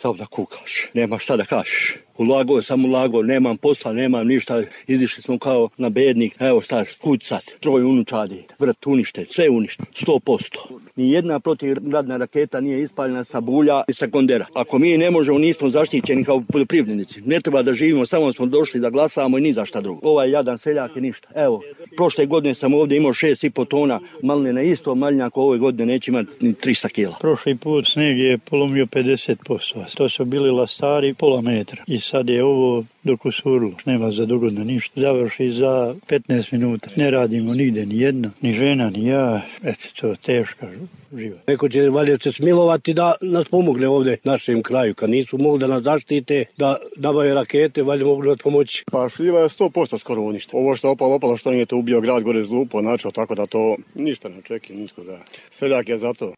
samo da kukaš, nema šta da kažeš. Ulagao sam, nemam posla, nemam ništa, izišli smo kao na bednik, evo staš, kud sad, 3 unučadi, vrt uništen, sve uništen, 100%. Nijedna protivgradna raketa nije ispaljena sa bulja i sa kondera. Ako mi ne možemo, nismo zaštićeni kao poljoprivrednici, ne treba da živimo, samo smo došli da glasamo i ni za šta drugo. Ovaj jadan seljak je ništa. Evo, prošle godine sam ovdje imao 6,5 tona maline, isto malinjak ove godine neće imati ni 300 kila. Prošli put sneg je polomio 50%, to su bili lastari pola metra i sad je ovo dok usurilo, nema za dogodno ništa, završi za 15 minuta. Ne radimo nigde, ni jedna, ni žena, ni ja, eto, to je teška život. Neko će valjda se smilovati da nas pomogne ovdje našem kraju, kad nisu mogli da nas zaštite, da nabave rakete, valjda mogu da pomoći. Pa šljiva je 100% skoro uništa. Ovo što je opalo, što nije to ubio grad gore zlupo, načeo, tako da to ništa ne očekuje, ništa da. Seljak je za to.